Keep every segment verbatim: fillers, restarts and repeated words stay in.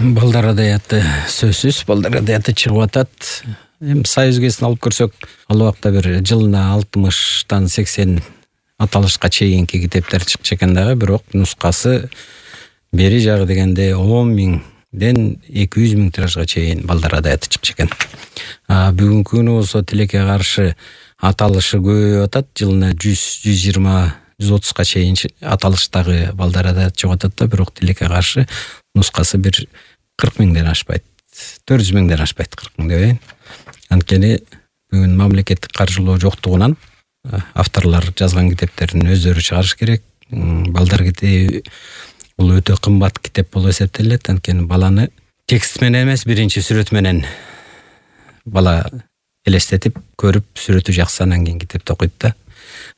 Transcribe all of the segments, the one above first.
Балдар адаяты сөзсүз балдар адаяты чыгып атат. Эми Союз кезин алып көрсөк, ал убакта бир жылына алтымыштан сексен аталышка чейинки китептер чыкчу экен дагы, бирок нускасы бери жагы дегенде он миңден эки жүз миң тиражга чейин балдар адаяты чыкчу экен. А бүгүнкү күнү болсо тилекке каршы аталышы көбөйүп атат. Жылына жүз, жүз жыйырма, жүз отузга чейин аталыштагы балдар адаяты чыгып атат да, бирок тилекке каршы нускасы бир кырк миңден ашпайт. төрт жүз миңден ашпайт, кырк миң дебейин. Анткени бүгүн мамлекеттик каржылоо жоктугунан авторлор жазган китептерин өздөрү чыгарыш керек. Балдар китеби бул өтө кымбат китеп болуп эсептелет. Анткени баланы текст менен эмес, биринчи сүрөт менен бала элестетип, көрүп, сүрөтү жакса анан кийин китепти окуйт да.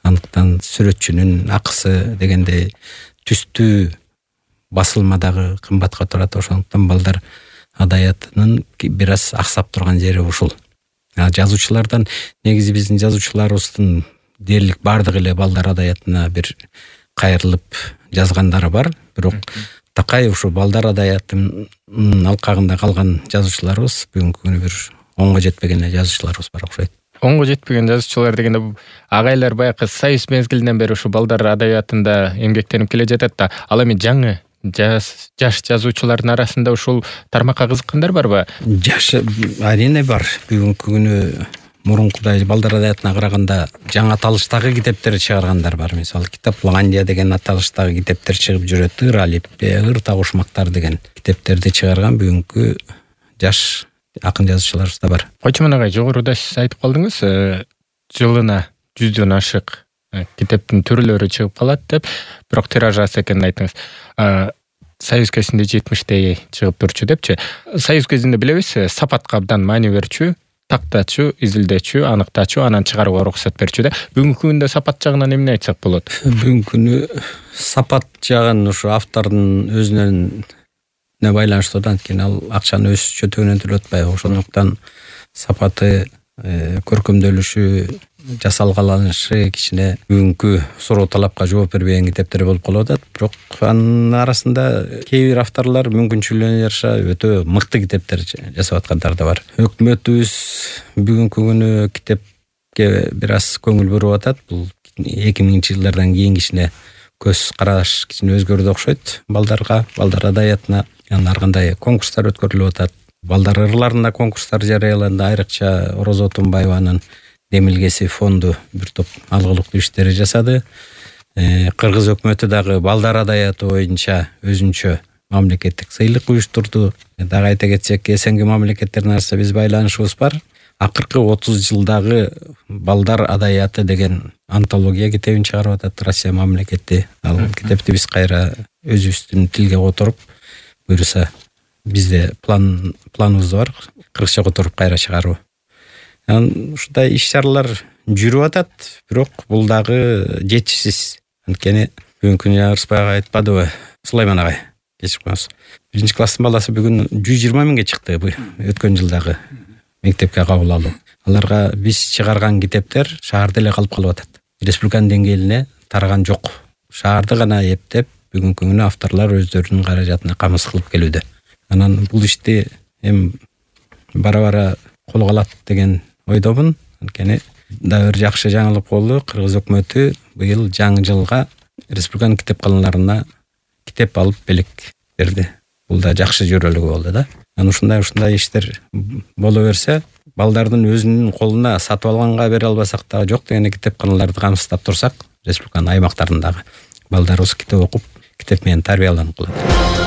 Андыктан сүрөтчүнүн акысы дегенде түстүү басылмадагы кымбатка турат. Ошондуктан балдар адаятынын бир аз аксап турган жери ушул. Жазуучулардан негизи биздин жазуучуларыбыздын дээрлик бардыгы эле балдар адаятына бир кайрылып жазгандары бар, бирок такай ушу балдар адаятынын алкагында калган жазуучуларыбыз бүгүнкү күнү бир онго жетпеген жазуучуларыбыз бар окшойт. Онго жетпеген жазуучулар дегенде агайлар баягы Союз мезгилинен бери ушу балдар адаятында эмгектенип келе жатат да, ал эми жаңы жаш жаш жазуучулардын арасында ушул тармакка кызыккандар барбы? Жаш арине бар. Бүгүнкү күнү мурункудай балдар адаятына караганда жаңы аталыштагы китептер чыгаргандар бар. Мисалы Китапландия деген аталыштагы китептер чыгып жүрөт. Ыр алиппе, ыр тагушмактар деген китептерди чыгарган бүгүнкү жаш акын жазуучуларыбыз да бар. Койчуман агай, жогоруда сиз айтып калдыңыз, жылына жүздөн ашык китептин түрлөрү чыгып калат деп, бирок тираж аз экенин айттыңыз. Союз кезинде жетимиштей чыгып турчу депчи. Союз кезинде билебиз, сапатка абдан маани берчү, тактачу, изилдечү, аныктачу, анан чыгарууга уруксат берчү да. Бүгүнкү күндө сапат жагынан эмне айтсак болот? Бүгүнкү күнү сапат жагын ушу автордун өзүнөн не байланыштуу да, анткени ал акчаны өз чөтүгүнөн төлөп атпайбы. Ошондуктан сапаты, көркөмдөлүшү, жасалгаланышы кичине бүгүнкү суроо талапка жооп бербеген китептер болуп калып атат. Бирок анын арасында кээ бир авторлор мүмкүнчүлүгүнө жараша өтө мыкты китептер жасап аткандар да бар. Өкмөтүбүз бүгүнкү күнү китепке бир аз көңүл буруп атат. Бул эки миңинчи жылдардан кийин кичине көз караш кичине өзгөрдү окшойт. Балдарга, балдар адаятына ар кандай конкурстар өткөрүлүп атат. Балдар ырларында конкурстар жарыяланды. Айрыкча Орозо Тумбаеванын Демилгеси фонду бир топ алгылыктуу иштери жасады. Кыргыз өкмөтү дагы балдар адаяты боюнча өзүнчө мамлекеттик сыйлык уюштурду. Дагы айта кетсек, СНГ мамлекеттеринин арасында биз байланышыбыз бар. Акыркы отуз жылдагы балдар адаяты деген антология китебин чыгарып атат Россия мамлекети. Ал китепти биз кайра өзүбүздүн тилге которуп, буюрса бизде план планыбыз бар, кыргызча которуп кайра чыгаруу. Ушундай иш-чаралар жүрүп атат, бирок бул дагы жетишсиз. Анткени бүгүнкү күнү Ырысбай агай айтпадыбы, Сулайман агай, кечирип коюңуз. Биринчи класстын баласы бүгүн жүз жыйырма миңге чыкты өткөн жылдагы мектепке кабыл алуу. Аларга биз чыгарган китептер шаарда эле калып калып атат. Республиканын деңгээлине тараган жок. Шаарды гана эптеп бүгүнкү күнү авторлор өздөрүнүн каражатына камыз кылып келүүдө. Анан бул ишти эми бара-бара колго алат деген ойдомун. Анткени да бир жакшы жаңылык болду. Кыргыз өкмөтү быйыл жаңы жылга республиканын китепканаларына китеп алып белек берди. Бул да жакшы жөрөлүгү болду да. Анан ушундай ушундай иштер боло берсе, балдардын өзүнүн колуна сатып алганга бере албасак дагы жок деген китепканаларды камсыздап турсак, республиканын аймактарындагы балдарыбыз китеп окуп, китеп менен тарбияланып калат.